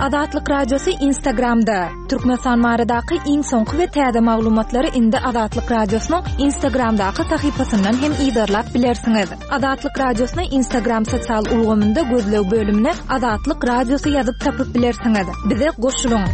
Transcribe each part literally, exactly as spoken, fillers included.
Azatlyk Radiosy Instagramda. Türkmenistan baradaky iň soňky we täze maglumatlary indi Azatlyk Radiosynyň Instagramdaky sahypasyndan hem yzarlap bilersiňiz. Azatlyk Radiosyny Instagram sosial ulgamynda gözleg bölümine Azatlyk Radiosy ýazyp tapyp bilersiňiz. Bize goşulyň.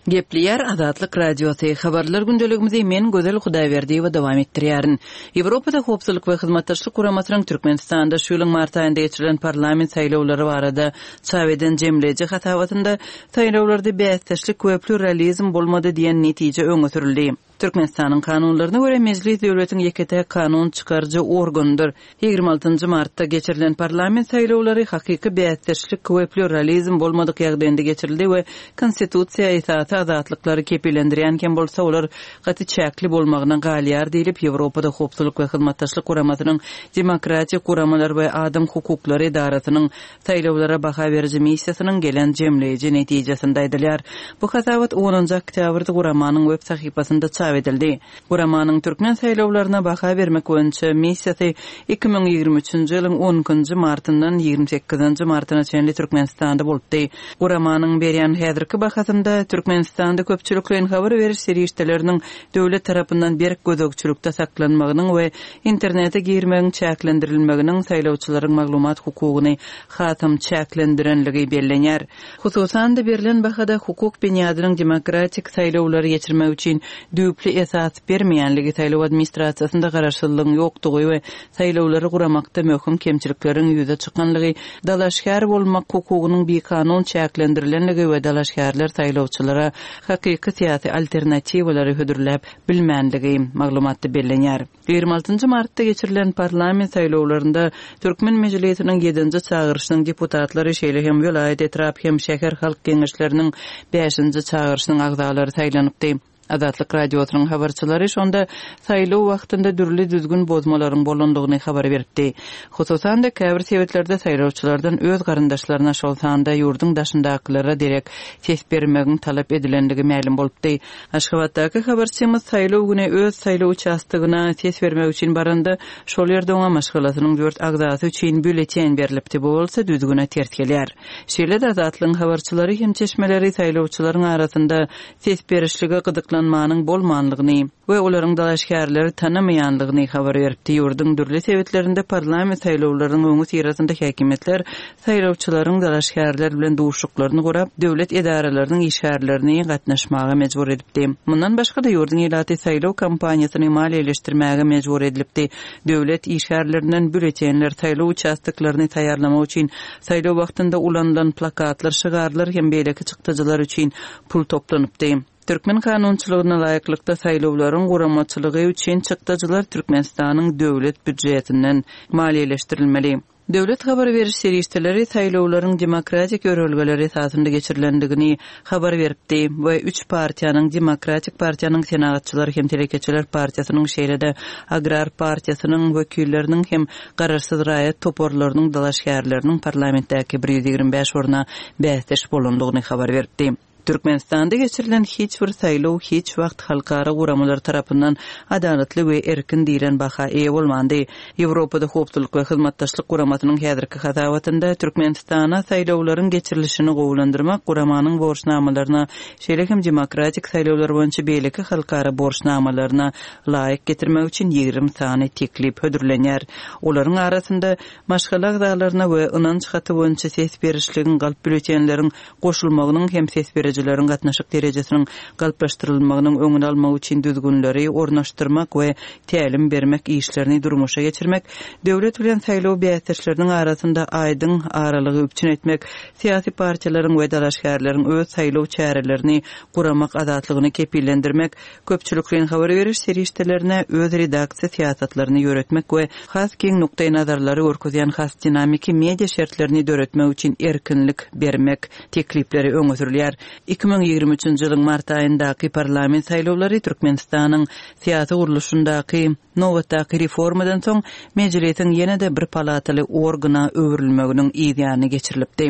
Gepleýär Azatlyk Radiosy. Habarlar gündeligimizi men Gözel Hudaýberdiýewa dowam etdirýärin. Ýewropada Howpsuzlyk we Hyzmatdaşlyk Guramasynyň Türkmenistanda şu ýylyň mart aýynda geçirilen parlament saýlawlary barada çap eden jemleýji hasabatynda saýlawlarda bäsdeşlik we pluralizm bolmady diýen netije öňe sürüldi. Türkmenistanyň kanunlaryna görä Mejlis döwletiň ýeke-täk kanun çykaryjy organydyr. Ýigrimi altynjy martda geçirilen parlament saýlawlary hakyky bäsdeşlik we pluralizm bolmadyk ýagdaýynda geçirildi we Konstitusiýa esasy azatlyklary kepillendirýän hem bolsa olar gaty çäkli bolmagyna galýar diýlip Ýewropada Howpsuzlyk we Hyzmatdaşlyk Guramasynyň Demokratik guramalar we adam hukuklary edarasynyň saýlawlara baha beriji missiýasynyň gelen jemleýji netijesinde aýdylýar. Bu hasabat onunjy oktýabrda guramanyň web sahypasynda çap edildi. Guramanyň türkmen saýlawlaryna baha bermek boýunça missiýasy iki müň ýigrimi üçünji ýylyň on ikinji martyndan ýigrimi sekizinji martyna çenli Türkmenistanda bolupdy. Guramanyň berýän häzirki bahasynda Türkmenistanda köpçülikleýin habar beriş serişdeleriniň döwlet tarapyndan berk gözegçilikde saklanmagynyň we internete girmegiň çäklendirilmeginiň saýlawçylaryň maglumat hukugyny hasam çäklendirenligi bellenýär. Hususan-da berlen bahada hukuk binýadynyň demokratik saýlawlary geçirmek üçin düýpli esas bermeýänligi, saýlaw administrasiýasynda garaşsyzlygyň ýokdugy we saýlawlary guramakda möhüm kemçilikleriň ýüze çykanlygy, dalaşgär bolmak hukugynyň bikanun çäklendirilenligi we dalaşgärler saýlawçylara hakyky syýasy alternatiwalary hödürläp bilmänligi maglumatda bellenýär. Ýigrimi altynjy martda geçirilen parlament saýlawlarynda Türkmen Mejlisiniň ýedinji çagyryşynyň deputatlary, şeýle hem welaýat, etrap hem şäher halk geňeşleriniň bäşinji çagyryşynyň agzalary saýlanypdy. Azatlyk Radiosynyň habarçylary şonda saýlaw wagtynda dürli düzgün bozmalaryň bolandygyny habar beripdi. Hususan-da käbir sebetlerde saýlawçylardan öz garyndaşlaryna, şol sanda ýurduň daşyndakylara derek ses bermegiň talap edilendigi mälim bolupdy. Aşgabatdaky habarçymyz saýlaw güni öz saýlaw uçastogyna ses bermek üçin baranda, şol ýerde oňa maşgalasynyň dört agzasy üçin býulleten berlipdi. Bu bolsa düzgüne ters gelýär. Şeýle-de Azatlygyň habarçylary hem çeşmeleri saýlawçylaryň arasynda ses berişlige gyzyklanmanyň bolmanlygyny we olaryň dalaşgärleri tanamaýanlygyny habar beripdi. Ýurduň dürli sebitlerinde parlament saýlawlarynyň öňi syrasynda häkimiýetler saýlawçylaryň dalaşgärler bilen duşuşyklaryny gurap, döwlet edaralarynyň işgärlerini gatnaşmaga mejbur edipdi. Mundan başga-da ýurduň ilaty saýlaw kampaniýasyny maliýeleşdirmäge mejbur edilipdi. Döwlet işgärlerinden býulletenler, saýlaw uçastoklaryny taýýarlamak üçin saýlaw wagtynda ulanylan plakatlar, şygarlar hem beýleki çykdajylar üçin pul toplanypdy. Türkmen kanunçylygyna laýyklykda saýlawlaryň guramaçylygy üçin çykdajylar Türkmenistanyň döwlet býujetinden maliýeleşdirilmeli. Döwlet habar beriş serişdeleri saýlawlaryň demokratik ýörelgeleri esasynda geçirilendigini habar beripdi we üç partiýanyň, Demokratik partiýanyň, Senagatçylar hem Telekeçiler partiýasynyň, şeýle-de Agrar partiýasynyň wekilleriniň hem garaşsyz raýat toparlarynyň dalaşgärleriniň parlamentdäki bir ýüz ýigrimi bäş orna bäsdeş bolandygyny habar beripdi. Türkmenistanda geçirilen hiç bir saýlaw hiç wagt halkara guramalar tarapyndan adalatly we erkin diýlen baha eýe bolmandy. Ýewropada Howpsuzlyk we Hyzmatdaşlyk Guramasynyň häzirki hasabatynda Türkmenistana saýlawlaryň geçirilişini gowulandyrmak guramanyň borçnamalaryna, şeýle hem demokratik saýlawlar boýunça beýleki halkara borçnamalaryna laýyk getirmek üçin ýigrimi sany teklip hödürlenýär. Olaryň arasynda maşgala agzalaryna we ynanç haty boýunça ses berişligiň galp býulletenleriň goşulmagynyň hem ses berijileriň gatnaşyk derejesiniň galplaşdyrylmagynyň öňüni almak üçin düzgünleri ornaşdyrmak we tälim bermek işlerini durmuşa geçirmek, döwlet bilen saýlaw bäsdeşleriniň arasynda aýdyň aralygy üpjün etmek, syýasy partiýalaryň we dalaşgärleriň öz saýlaw çärelerini guramak azatlygyny kepillendirmek, köpçülikleýin habar beriş serişdelerine öz redaksiýa syýasatlaryny ýöretmek we has giň nukdaý nazarlary görkezýän has dinamiki media şertlerini döretmek üçin erkinlik bermek teklipleri öňe sürülýär. Iki müň ýigrimi üçünji ýylyň mart aýyndaky parlament saýlawlary Türkmenistanyň syýasy gurluşyndaky nobatdaky reformadan soň mejlisiň ýene-de bir palataly organa öwrülmeginiň yz ýany geçirilipdi.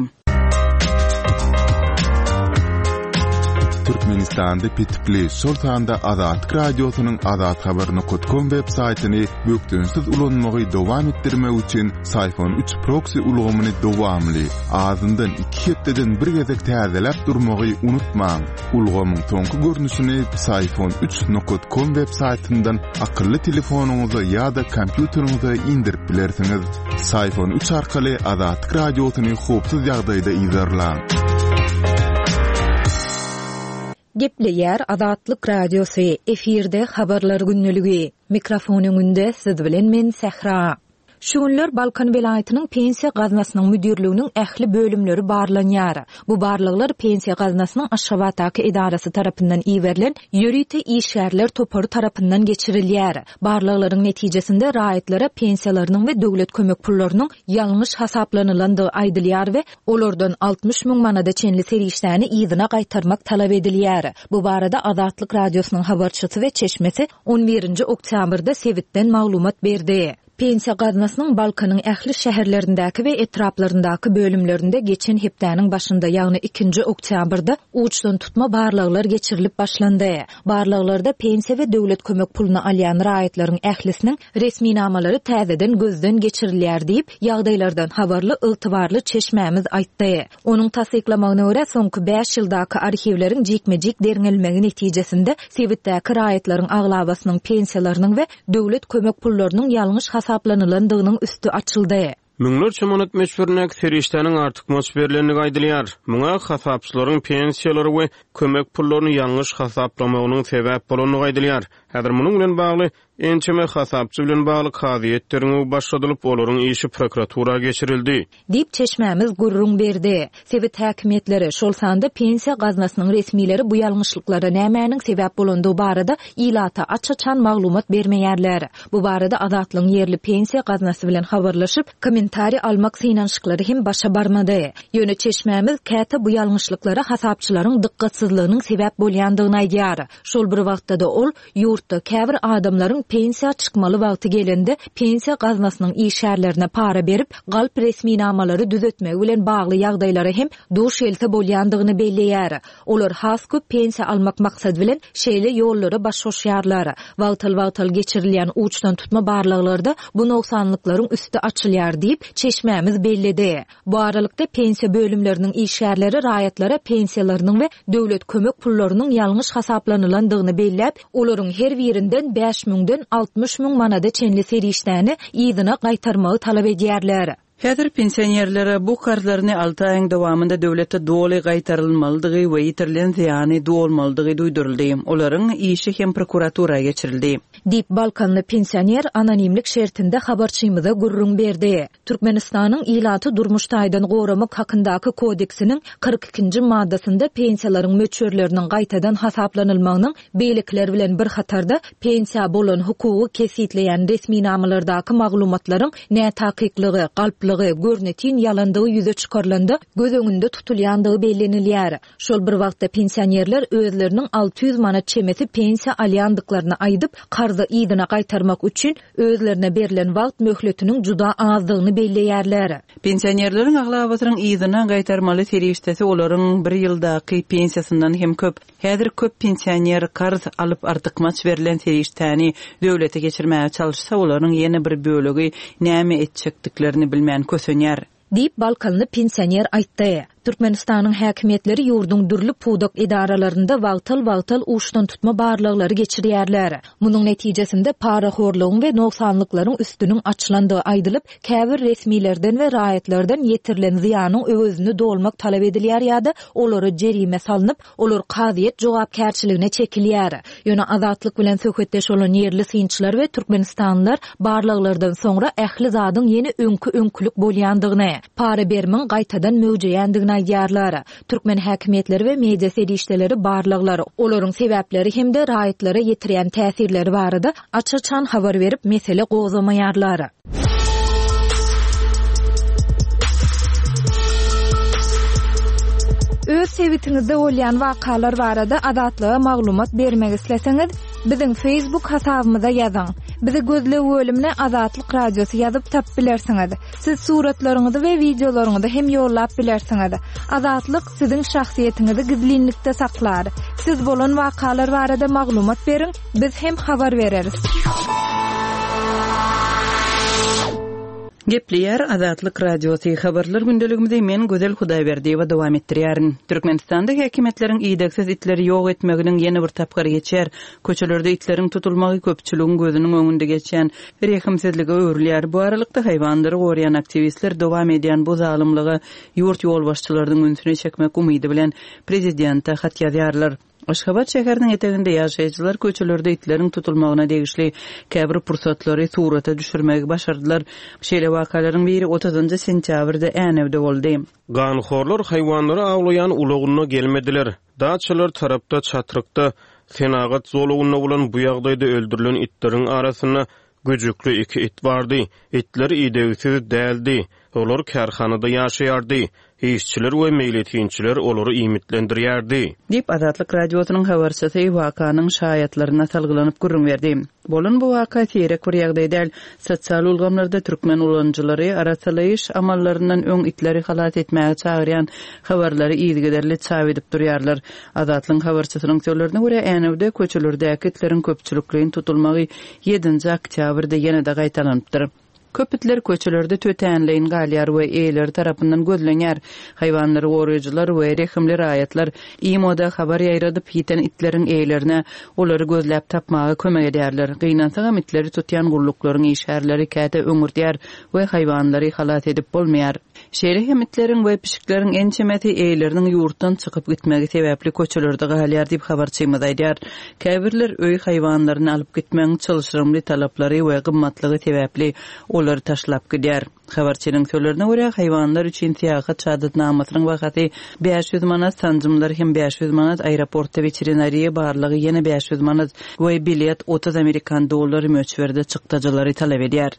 Türkmenistanda petikli, şol sanda Azatlyk Radiosynyň azathabar nokta com web saýtyny bökdençsiz ulanmagy dowam etdirmek üçin Psiphon üç proxy ulgamyny dowamly, azyndan iki hepdeden bir gezek täzeläp durmagy unutmaň. Ulgamyň soňky görnüşini Psiphon üç nokta com web saýtyndan akylly telefonyňyza ýa-da kompýuteriňize indirip bilersiňiz. Psiphon üç arkaly Azatlyk Radiosyny howpsuz ýagdaýda yzarlaň. Gepleýär Azatlyk Radiosy, efirde habarlar günlügi. Mikrofon öňünde siz bilen men Sähra. Şu günler Balkan welaýatynyň pensiýa gaznasynyň müdirliginiň ähli bölümleri barlanýar. Bu barlaglar pensiýa gaznasynyň Aşgabatdaky edarasy tarapyndan iberilen ýörite işgärler topary tarapyndan geçirilýär. Barlaglaryň netijesinde raýatlara pensiýalarynyň we döwlet kömek pullarynyň ýalňyş hasaplanylandygy aýdylýar we olardan altmyş müň manada çenli serişdäni yzyna gaýtarmak talap edilýär. Bu barada Azatlyk Radiosynyň habarçysy we çeşmesi on birinji oktýabrda sebitden maglumat berdi. Pensiýa gaznasynyň Balkanyň ähli şäherlerindäki we etraplaryndaky bölümlerinde geçen hepdäniň başynda, ýagny ikinji oktýabrda uçdan tutma barlaglar geçirilip başlandy. Barlaglarda pensiýa we döwlet kömek puluny alýan raýatlaryň ählisiniň resminamalary täzeden gözden geçirilýär diýip, ýagdaýlardan habarly ygtybarly çeşmämiz aýtdy. Onuň tassyklamagyna görä, soňky bäş ýyldaky arhiwleriň jikme-jik derňelmegi netijesinde sebitdäki raýatlaryň aglabasynyň pensiýalarynyň we döwlet kömek pullarynyň ýalňyş hasaplanylandygynyň üstü açyldy. Müňlerçe manat möçberindäki serişdäniň artykmaç berilendigi aýdylýar. Muňa hasapçylaryň pensiýalary we kömek pullaryny ýalňyş hasaplamagynyň sebäp bolandygy aýdylýar. Häzir munuň bilen bagly ençeme hasapçy bilen bagly kazyýet derňewi başladylyp, olaryň işi prokuratura geçirildi. Diýip çeşmämiz gürrüň berdi. Sebit häkimiýetleri, şol sanda pensiýa gaznasynyň resmileri bu ýalňyşlyklara nämäniň sebäp bolandygy barada ilata aç-açan maglumat bermeýärler. Bu barada Azatlygyň ýerli pensiýa gaznasy bilen habarlaşyp, kommentariý almak synanyşyklary hem başa barmady. Ýöne çeşmämiz käte bu ýalňyşlyklara hasapçylaryň dykgatsyzlygynyň sebäp bolýandygyny aýdýar. Şol bir wagtda-da ol ýurtda käbir adamlaryň pensiýa çykmaly wagty gelende pensiýa gaznasynyň işgärlerine para berip, galp resminamalary düzetmegi bilen bagly ýagdaýlara hem duş gelse bolýandygyny belleýär. Olar has köp pensiýa almak maksady bilen şeýle ýollara baş goşýarlar. Wagtal-wagtal geçirilýän uçdan tutma barlaglarda bu nogsanlyklaryň üsti açylýar diýip çeşmämiz belledi. Bu aralykda pensiýa bölümleriniň işgärleri raýatlara pensiýalarynyň we döwlet kömek pullarynyň ýalňyş hasaplanylandygyny belläp, olaryň her birinden bäş müňden altmyş müň manada çenli serişdäni yzyna gaýtarmagy talap edýärler. Häzir pensionerlere bu karzlaryny alty aýyň dowamynda döwlete doly gaýtarylmalydygy we ýitirilen zyýany dolmalydygy duýduryldy. Olaryň işi hem prokuratura geçirildi. Diýip Balkanly pensioner anonimlik şertinde habarçymyza gürrüň berdi. Türkmenistanyň ilaty durmuş taýdan goramak hakyndaky kodeksiniň kyrk ikinji maddasynda pensiýalaryň möçberleriniň gaýtadan hasaplanylmagynyň beýlekiler bilen bir hatarda pensiýa bolan hukugy kesgitleýän resminamalardaky maglumatlaryň nätakyklygy, galplygy, görnetin ýalandygy ýüze çykarylanda göz öňünde tutulýandygy bellenilýär. Şol bir wagtda pensionerler özleriniň alty ýüz manat çemesi pensiýa alýandyklaryny aýdyp, karzy yzyna gaýtarmak üçin özlerine berlen wagt möhletiniň juda azdygyny belleýärler. Pensionerleriň aglabasynyň yzyna gaýtarmaly serişdesi olaryň bir ýyldaky pensiýasyndan hem köp. Häzir köp pensioner karz alyp artykmaç berlen serişdäni döwlete geçirmäge çalyşsa, olaryň ýene bir bölegi näme etjekdiklerini bilmän kösenýär. Diýip Balkanly pensioner aýtdy. Türkmenistanyň häkimiýetleri ýurduň dürli pudak edaralarynda wagtal-wagtal uçdan tutma barlaglary geçirýärler. Munuň netijesinde parahorlugyň we nogsanlyklaryň üstüniň açylandygy aýdylyp, käbir resmilerden we raýatlardan ýetirilen zyýanyň öwezini dolmak talap edilýär ýa-da olara jerime salnyp, olar kazyýet jogapkärçiligine çekilýär. Ýöne Azatlyk bilen söhbetdeş bolan ýerli synçylar we Türkmenistanlylar barlaglardan soňra ähli zadyň ýene öňkü-öňkülük bolýandygyny, para berimiň gaýtadan möwjeýändigini aýdýarlar. Türkmen häkimiýetleri we media serişdeleri barlaglar, olaryň sebäpleri hem-de raýatlara ýetirýän täsirleri barada aç-açan habar berip mesele gozgamaýarlar. Öz sebitiňizde bolýan wakalar barada Azatlyga maglumat bermek isleseňiz, biziň Facebook hasabymyza ýazyň. Bizi gözleg bölümine Azatlyk Radiosy ýazyp tapyp bilersiňiz. Siz suratlaryňyzy we wideolaryňyzy hem ýollap bilersiňiz. Azatlyk siziň şahsyýetiňizi gizlinlikde saklar. Siz bolan wakalar barada maglumat beriň, biz hem habar bereris. Gepleýär Azatlyk Radiosy habarlar gündeligimizi men Gözel Hudaýberdiýewa dowam etdirýärin. Türkmenistanda häkimiýetleriň idegsiz itleri ýok etmeginiň ýene bir tapgyry geçýär. Köçelerde itleriň tutulmagy köpçüligiň gözüniň öňünde geçýän rehimsizlige öwrülýär. Bu aralykda haýwanlary goraýan aktiwistler dowam edýän bu zalymlyga ýurt ýolbaşçylarynyň ünsüni çekmek umydy bilen prezidente hat ýazýarlar. Aşgabat şäheriniň eteginde ýaşaýjylar köçelerde itleriň tutulmagyna degişli käbir pursatlary surata düşürmegi başardylar. Şeýle wakalaryň biri otuzynjy sentýabrda Änewde boldy. Ganhorlar haýwanlary awlaýan ulagynda gelmediler. Daçalar tarapda çatrykda senagat zolugynda bolan bu ýagdaýda öldürilen itleriň arasynda güjükli iki it bardy. Itler idegsiz däldi. Olar kärhanada ýaşaýardy. Işçiler we meýletinçiler olary iýmitlendirýärdi. Diýip Azatlyk Radiosynyň habarçysy wakanyň şaýatlaryna salgylanyp gürrüň berdi. Bolan bu waka seýrek bir ýagdaý däl. Sosial ulgamlarda türkmen ulanyjylary arasalaýyş amallaryndan öň itleri halas etmäge çagyrýan habarlary yzygiderli çap edip durýarlar. Azatlyk habarçysynyň sözlerine görä Änewde köçelerdäki itleriň köpçülikleýin tutulmagy ýedinji oktýabrda ýene-de gaýtalanypdyr. Köp itler köçelerde tötänleýin galýar we eýeleri tarapyndan gözlenýär. Haýwanlary goraýjylar we rehimli raýatlar imoda habar ýaýradyp ýiten itleriň eýelerine olary gözläp tapmaga kömek edýärler. Gynansagam itleri tutýan gulluklaryň işgärleri käte öňürdýär we haýwanlary halas edip bolmaýar. Şeýle hem itleriň we pişikleriň ençemesi eýeleriniň ýurtdan çykyp gitmegi sebäpli köçelerde galýar diýip habarçymyz aýdýar. Käbirler öý haýwanlaryny alyp gitmegiň çylşyrymly talaplary we gymmatlygy sebäpli olary taşlap gidýär. Habarçynyň sözlerine görä haýwanlar üçin syýahat şahadatnamasynyň bahasy bäş ýüz manat, sanjymlar hem bäş ýüz manat, aeroportda veterinariýa barlygy ýene bäş ýüz manat we bilet otuz amerikan dollary möçberde çykdajylary talap edýär.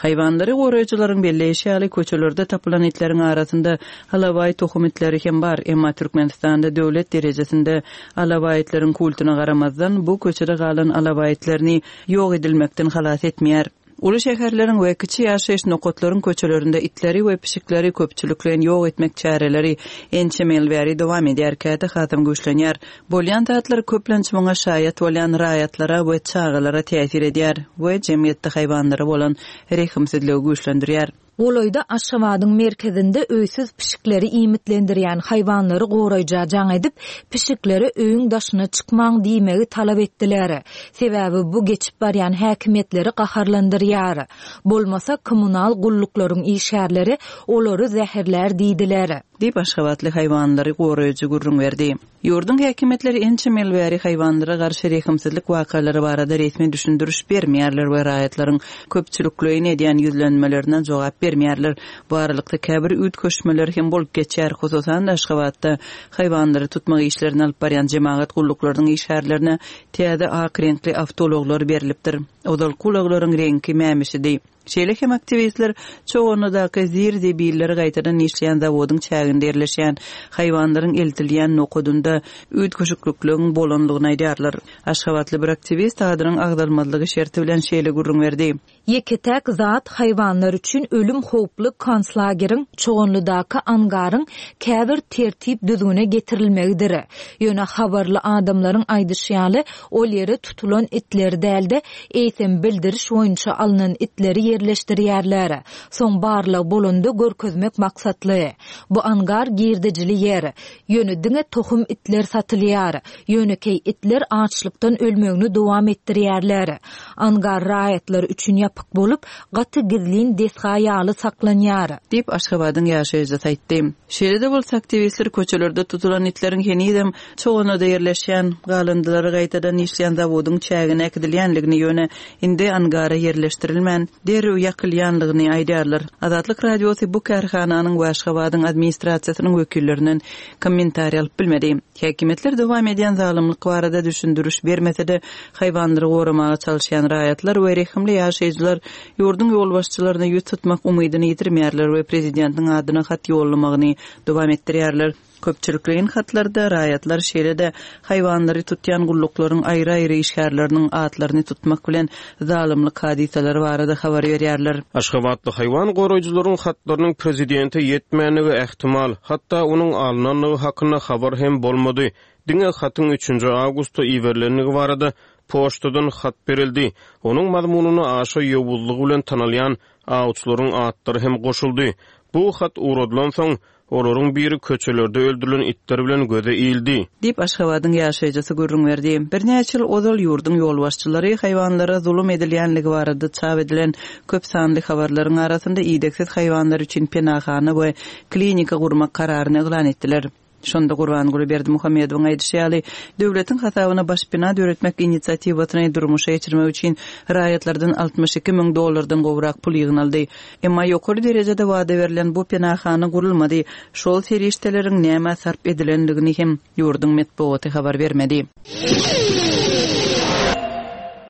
Haýwanlary goraýjylaryň belleýşi ýaly köçelerde tapylan itleriň arasynda alabaý tohum itleri hem bar, emma Türkmenistanda döwlet derejesinde alabaý itleriň kultuna garamazdan bu köçede galan alabaý itlerini ýok edilmekden halas etmeýär. Uly şäherleriň we kiçi ýaşaýyş nokatlaryň köçelerinde itleri we pişikleri köpçülikleýin ýok etmek çäreleri ençeme ýyl bäri dowam edýär, käte hasam güýçlenýär. Bolýan zatlar köplenç muňa şaýat bolýan raýatlara we çagalara täsir edýär we jemgyýetde haýwanlara bolan rehimsizligi güýçlendirýär. Golaýda Aşgabadyň merkezinde öýsüz pişikleri iýmitlendirýän haýwanlary goraýja jaň edip, pişiklere öýüň daşyna çykmaň diýmegi talap etdiler. Sebäbi bu geçip barýan häkimiýetleri gaharlandyrýar. Bolmasa kommunal gulluklaryň işgärleri olary zäherlär diýdiler. Diýip Aşgabatly haýwanlary goraýjy gürrüň berdi. Ýurduň häkimiýetleri ençeme ýyl bäri haýwanlara garşy rehimsizlik wakalary barada resmi düşündiriş bermeýärler we raýatlaryň köpçülikleýin edýän ýüzlenmelerine jogap bermeýärler. Bu aralykda käbir üýtgeşmeler hem bolup geçýär. Hususan Aşgabatda haýwanlary tutmak işlerini alyp barýan jemagat gulluklarynyň işgärlerine täze ak reňkli awtoulaglar berilipdir. Ozalky ulaglaryň reňki mämişidi. Şeýle hem aktiwistler Çoganlydaky zir-zebilleri gaýtadan işleýän zawodyň çäginde ýerleşýän haýwanlaryň eltilýän nokadynda üýtgeşiklikligiň bolanlygyny aýdýarlar. Aşgabatly bir aktiwist adynyň agzalmazlygy şerti bilen şeýle gürrüň berdi. Ýeke-täk zat haýwanlar üçin ölüm howply konslageriň Çoganlydaky angaryň käbir tertip düzgüne getirilmegidir. Ýöne habarly adamlaryň aýdyşy ýaly, ol ýere tutulan itler dälde, eýsem bildiriş boýunça alynan itleri ýerleşdirýärler. Soň barlyk bolanda görkezmek maksatly. Bu angar girdejili ýer. Ýöne diňe tohum itler satylýar. Ýönekeý itler açlykdan ölmegini dowam etdirýärler. Angar raýatlar üçin ýapyk bolup, gaty gizlin desga ýaly saklanýar. Diýip Aşgabadyň ýaşaýjysy aýtdy. Şeýle-de bolsa aktiwistler köçelerde tutulan itleriň henizem Çoganlyda ýerleşýän galyndylary gaýtadan işleýän zawodyň çägine äkidilýänligini, ýöne indi angara ýerleşdirilmän, derrew ýakylýanlygyny aýdýarlar. Azatlyk Radiosy bu kärhananyň we Aşgabadyň administrasiýasynyň wekillerinden kommentariý alyp bilmedi. Häkimiýetler dowam edýän zalymlyk barada düşündiriş bermese-de, haýwanlary goramaga çalışýan raýatlar we rehimli ýaşaýjylar ýurduň ýolbaşçylaryna ýüz tutmak umydyny ýitirmeýärler we prezidentiň adyna hat ýollamagyny dowam etdirýärler. Köpçülikleýin hatlarda raýatlar şeýle-de haýwanlary tutýan gulluklaryň aýry-aýry işgärleriniň atlaryny tutmak bilen zalymlyk hadysalary barada habar berýärler. Aşgabatly haýwan goraýjylaryň hatlarynyň prezidente ýetmänligi ähtimal, hatda onuň alnandygy hakynda habar hem bolmady. Diňe hatyň üçünji awgustda iberilendigi barada poçtadan hat berildi. Onuň mazmunyna aşa ýowuzlygy bilen tanalýan awçylaryň atlary hem goşuldy. Bu hat ugradylansoň, olaryň biri köçelerde öldürilen itler bilen göze ildi. Diýip, Aşgabadyň ýaşaýjysy gürrüň berdi. Birnäçe ýyl ozal ýurduň ýolbaşçylary haýwanlara zulum edilýänligi barada çap edilen köp sanly habarlaryň arasynda idegsiz haýwanlar üçin penahana we klinika gurmak kararyny yglan etdiler. Şonda Gurbanguly Berdimuhamedowyň aýdyşy ýaly, döwletiň hasabyna baş bina döretmek inisiatiwasyny durmuşa geçirmek üçin raýatlardan altmyş iki müň dollardan gowrak pul ýygnaldy. Emma ýokary derejede wada berlen bu penahana gurulmady. Şol serişdeleriň nämä sarp edilendigini hem ýurduň metbugaty habar bermedi.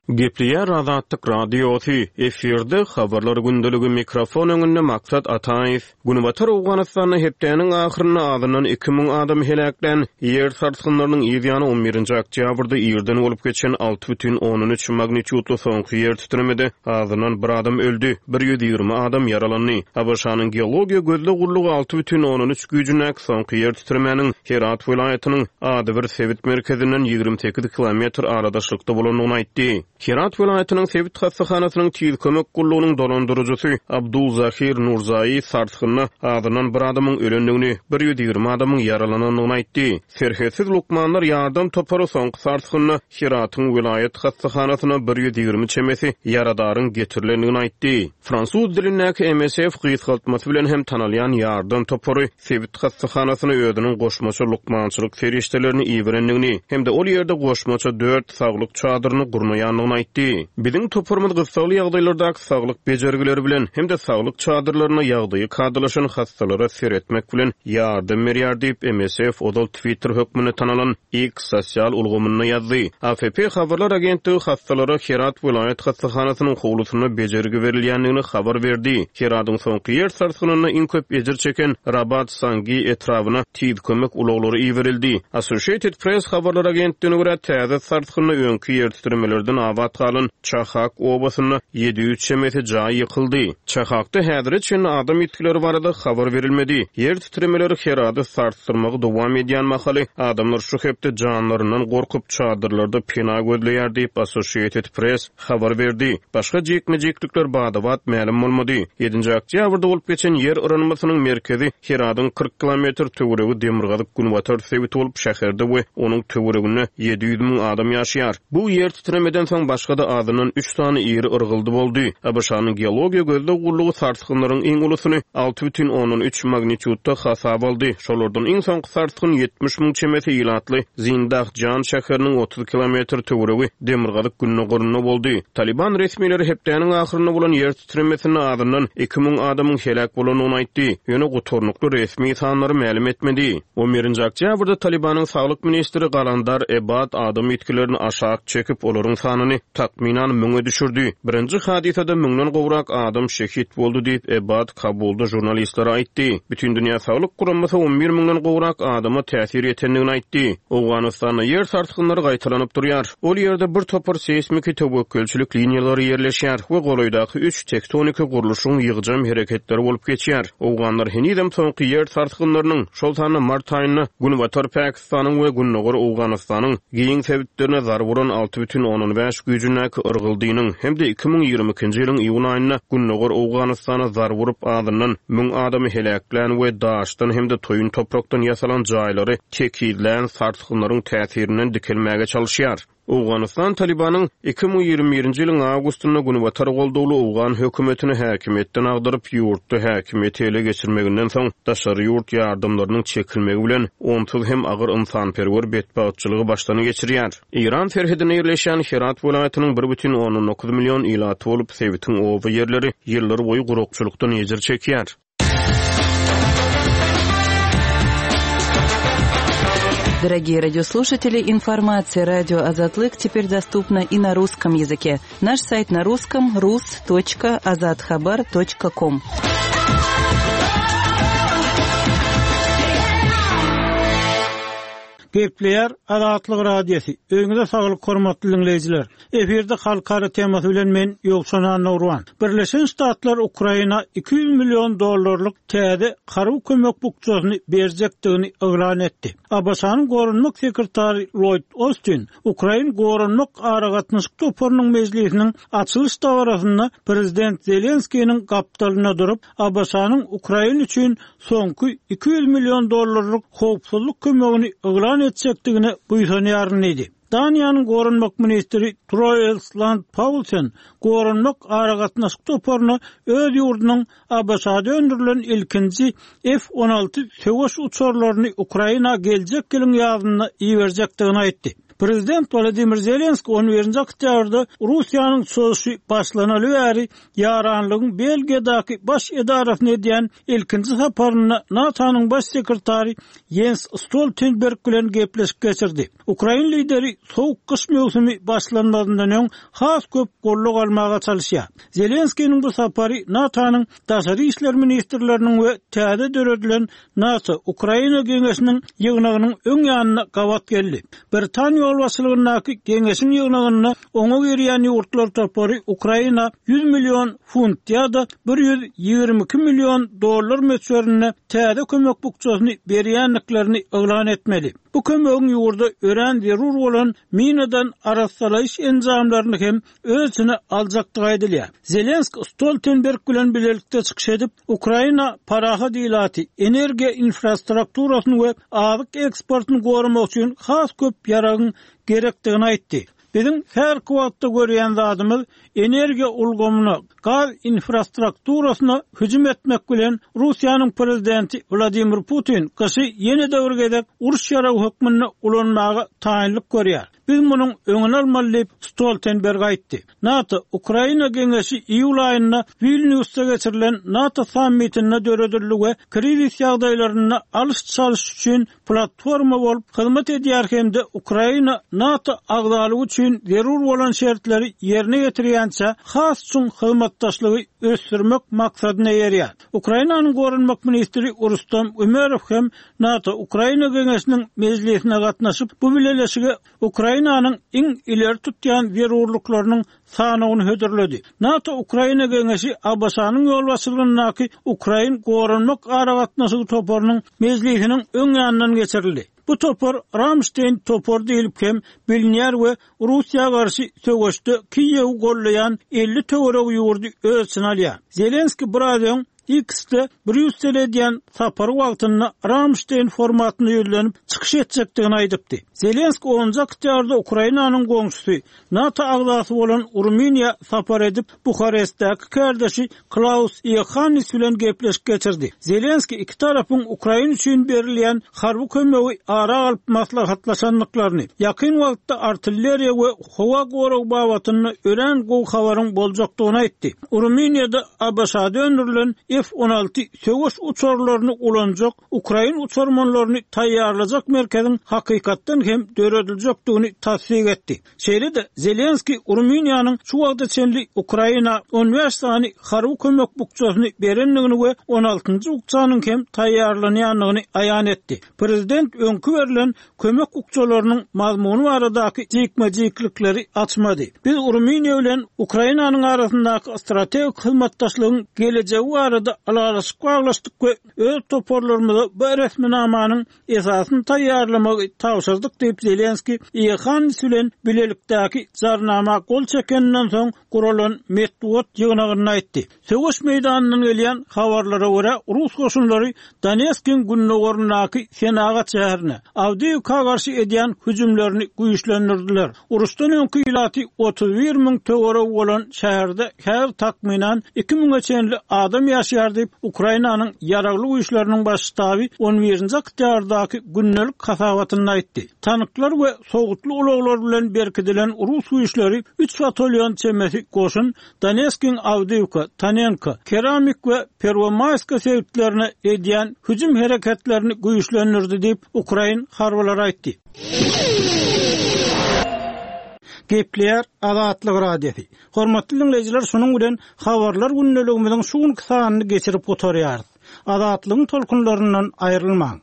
Gepleýär Azatlyk Radiosy, efirde habarlar gündeligi, mikrofon öňünde Maksat Ataýew. Günbatar Owganystanda hepdäniň ahyrynda azyndan iki müň adam heläklän ýer sarsgynlarynyň yz ýany on birinji oktýabrda irden bolup geçen alty bütin ondan üç magnitudly soňky ýer titremede azyndan bir adam öldi, bir ýüz ýigrimi adam ýaralandy. A B Ş-nyň geologiýa gözleg gullugy alty bütin ondan üç güýjündäki soňky ýer titremäniň Herat welaýatynyň adybir sebit merkezinden ýigrimi sekiz kilometr aradaşlykda bolandygyny aýtdy. Herat welaýatynyň sebit hassahanasynyň tiz kömek gullugynyň dolandyryjysy Abdul Zahir Nurzai sarsgynda azyndan bir adamyň ölendigini, bir ýüz ýigrimi adamyň ýaralanandygyny aýtdy. Serhetsiz lukmanlar ýardam topary soňky sarsgynda Heratyň welaýat hassahanasyna bir ýüz ýigrimi çemesi ýaradaryň getirilendigini aýtdy. Fransuz dilindäki M S F gysgaltmasy bilen hem tanalýan ýardam topary sebit hassahanasyna özüniň goşmaça lukmançylyk serişdelerini iberendigini hem-de ol ýerde goşmaça dört saglyk çadyryny gurnaýandygyny aýtdy. Biziň toparymyz gyssagly ýagdaýlardaky saglyk bejergileri bilen hem-de saglyk çadyrlaryna ýagdaýy kadalaşan hastalara seretmek bilen ýardam berýär diýip, M S F ozal Twitter hökmünde tanalan X sosial ulgamynda ýazdy. A F P habarlar agentligi hastalara Herat welaýat hassahanasynyň howlusynda bejergi berilýändigini habar berdi. Heradyň soňky ýer sarsgynynda iň köp ejir çeken Rabat Sangi etrabyna tiz kömek ulaglary iberildi. Associated Press habarlar agentligine görä, täze sarsgynda öňki ýer titremelerden abat galan Çahak obasynda ýedi ýüz çemesi jaý ýykyldy. Çahakda häzire çenli adam ýitgileri barada habar berilmedi. Ýer titremeleri Herady sarsdyrmagy dowam edýän mahaly adamlar şu hepde janlaryndan gorkup çadyrlarda pena gözleýär diýip Associated Press habar berdi. Başga jikme-jiklikler bada-bat mälim bolmady. Ýedinji oktýabrda bolup geçen ýer yranmasynyň merkezi Heradyň kyrk kilometr töweregi demirgazyk günbatar sebiti bolup, şäherde we onuň töwereginde ýedi ýüz müň adam ýaşaýar. Bu ýer titremeden soň başga-da azyndan üç sany iri yrgyldy boldy. A B Ş-nyň geologiýa gözleg gullugy sarsgynlaryň iň ulusyny alty bütin ondan üç magnitudda hasap aldy. Şolardan iň soňky sarsgyn ýetmiş müň çemesi ilatly Zindahjan şäheriniň otuz kilometr töweregi demirgazyk gündogarynda boldy. Taliban resmileri hepdäniň ahyrynda bolan ýer titremesinde azyndan iki müň adamyň heläk bolandygyny aýtdy. Ýöne gutarnykly resmi sanlary mälim etmedi. On birinji oktýabrda Talibanyň saglyk ministri Galandar Ebad adam ýitgilerini aşak çekip, olaryň sanyny takmynan müňe düşürdi. Birinji hadysada müňden gowrak adam şehit boldy diýip Ebad Kabulda žurnalistlere aýtdy. Bütindünýä Saglyk Guramasy on bir müňden gowrak adama täsir ýetendigini aýtdy. Owganystanda ýer sarsgynlary gaýtalanyp durýar. Ol ýerde bir topar seýsmiki töwekgelçilik liniýalary ýerleşýär we golaýdaky üç tektoniki gurluşyň ýygjam hereketleri bolup geçýär. Owganlar henizem soňky ýer sarsgynlarynyň, şol sanda mart aýynda Günbatar Pakistanyň we Gündogar Owganystanyň giň sebitlerine zarba uran alty bütin ondan bäş güýjündäki yrgyldynyň hem-de iki müň ýigrimi ikinji ýylyň iýun aýynda Gündogar Owganystana zarba urup azyndan müň adamy heläklän we daşdan hem-de toýun toprakdan ýasalan jaýlary tekizlän sarsgynlaryň täsirinden dikelmäge çalışýar. Owganystan Talibanyň iki müň ýigrimi birinji ýylyň awgustynda Günbatar goldawly Owgan hökümetini häkimiýetden agdaryp, ýurtda häkimiýeti ele geçirmeginden soň daşary ýurt ýardamlarynyň çekilmegi bilen onsuz hem agyr ynsanperwer betbagtçylygy başdan geçirýär. Eýran serhedinde ýerleşýän Herat welaýatynyň bir bütin ondan dokuz million ilaty bolup, sebitiň oba ýerleri ýyllar boýy gurakçylykdan ejir çekýär. Дорогие радиослушатели, информация радио Азатлык теперь доступна и на русском языке. Наш сайт на русском rus точка azathabar точка ком. Gepleýär Azatlyk Radiosy. Öýüňize saglyk hormatly dinleýjiler. Efirde halkara temasy bilen men Ýowşan Annurwan. Birleşen Ştatlar Ukraina iki ýüz million dollarlyk täze harby kömek bukjasyny berjekdigini yglan etdi. ABŞ-nyň goranmak sekretary Lloyd Austin Ukrain goranmak aragatnaşyk toparynyň mejlisiniň açylyş dabarasynda Prezident Zelenskiniň gapdalynda durup, ABŞ-nyň Ukrain üçin soňky iki ýüz million dollarlyk howpsuzlyk kömegini yglan etjekdigine buýsanýaryn diýdi. Daniýanyň goranmak ministri Troels Lund Poulsen goranmak aragatnaşyk toparyna öz ýurdunyň ABŞ-da öndürilen ilkinji F on alty söweş uçarlaryny Ukraina geljek ýylyň ýazynda iberjekdigini aýtdy. Prezident Wladimir Zelenski on birinji oktýabrda Russiýanyň çozuşy başlanaly bäri ýaranlygyň Belgiýadaky baş edarasyny edýän ilkinji saparynda NATO-nyň baş sekretary Jens Stoltenberg bilen gepleşik geçirdi. Ukrain lideri soğuk gyş möwsümi başlanmazyndan öň has köp gollag almaga çalışýar. Zelenskiniň bu sapary NATO-nyň daşary işler ministrleriniň we täze döredilen NATO Ukraina geňeşiniň ýygnagynyň öň ýanyna gabat geldi. Britaniýa ýolbaşçylygyndaky geňeşiň ýygnagynda oňa girýän ýurtlar topary Ukraina ýüz million funt ýa-da bir ýüz ýigrimi iki million dollar möçberinde täze kömek bukjasyny berýändiklerini yglan etmeli. Bu kömegiň ýurda örän zerur bolan minadan arassalaýyş enjamlaryny hem öz içine aljakdygy aýdylýar. Zelenski Stoltenberg bilen birlikde çykyş edip, Ukraina parahat ilaty, energiýa infrastrukturasyny we azyk eksportyny goramak üçin has köp ýaragyň gerekdigini aýtdy. Biziň her wagtda görýän zadymyz energiýa ulgamyna, gaz infrastrukturasyna hüjüm etmek bilen Russiýanyň prezidenti Wladimir Putin gyşy ýene de bir gezek uruş ýaragy hökmünde ulanmaga taýynlyk görýär. Biz munuň öňüni almaly diýip Stoltenberg aýtdy. NATO Ukraina geňeşi iýul aýynda Vilniusda geçirilen NATO sammitinde döredildi we krizis ýagdaýlarynda alyş-çalyş üçin platforma bolup hyzmat edýär hem-de Ukraina NATO agzalygy üçin zerur bolan şertleri ýerine getirýänçe has çuň hyzmatdaşlygy ösdürmek maksadyna eýerýär. Ukrainanyň goranmak ministri Rustam Umerow hem NATO Ukraina geňeşiniň mejlisine gatnaşyp, bu bileleşige Ukrainanyň iň ileri tutýan zerurlyklarynyň sanawyny hödürledi. NATO Ukraina geňeşi ABŞ-nyň ýolbaşçylygyndaky Ukrain goranmak aragatnaşygy toparynyň mejlisiniň öň ýanyndan geçirildi. Bu topar Ramstein topar diýilip hem bilinýär we Russiýa garşy söweşde Kiýewi gollaýan elli töweregi ýurdy öz içine alýar. Zelenski biraz öň X-de Brýussel edýän sapary wagtynda Ramstein formatyna ýüzlenip çykyş etjekdigini aýdypdy. Zelenski onunjy oktýabrda Ukrainanyň goňşusy NATO agzasy bolan Rumyniýa sapar edip, Buharestdäki kardeşi Klaus Iohannis bilen gepleşik geçirdi. Zelenski iki tarapyň Ukraina üçin berilýän harby kömegi ara alyp maslahatlaşandyklaryny, ýakyn wagtda artilleriýa we howa gorag babatynda örän gowy habaryň boljakdygyny aýtdy. Rumyniýada ABŞ-da öndürilen F on alty söweş uçarlaryny ulanjak Ukrain uçarmanlaryny taýýarlajak merkeziň hakykatdan hem dörediljekdigini tassyk etdi. Şeýle-de Zelenski Rumyniýanyň şu wagta çenli Ukraina on bäş sany harby kömek bukjasyny berendigini we on altynjy bukjanyň hem taýýarlanýandygyny aýan etdi. Prezident öňki berlen kömek bukjalarynyň mazmuny baradaky jikme-jiklikleri açmady. Biz Rumyniýa bilen Ukrainanyň arasyndaky strategik hyzmatdaşlygyň gelejegi barada ylalaşyk baglaşdyk we öz toparlarymyza bu resminamanyň esasyny taýýarlamagy tabşyrdyk diýip Zelenski Iohannis bilen bilelikdäki jarnama gol çekeninden soň guralan metbugat ýygnagynda aýtdy. Söweş meýdanyndan gelýän habarlara görä Rus goşunlary Donetskiň gündogaryndaky senagat şäherine Awdiýewka garşy edýän hüjümlerini güýçlendirdiler. Uruşdan öňki ilaty otuz bir müň töweregi bolan şäherde her takmynan iki müňe çenli adam ýaşaýar diýip Ukrainanyň ýaragly güýçleriniň baş ştaby on birinji oktýabrdaky gündelik hasabatynda aýtdy. Tanklar we sowutly ulaglar bilen berkidilen Rus güýçleri üç batalyon çemesi goşun Donetskiň Awdiýewka, Tanenka, Keramik we Pervomayska sebitlerine edýän hüjüm hereketlerini güýçlendirdi diýip Ukrain harbylary aýtdy. Gepleýär Azatlyk Radiosy. Hormatly dinleýjiler, şunuň bilen habarlar gündeligimiziň şu günki sanyny geçirip gutarýarys. Azatlygyň tolkunlaryndan aýrylmaň.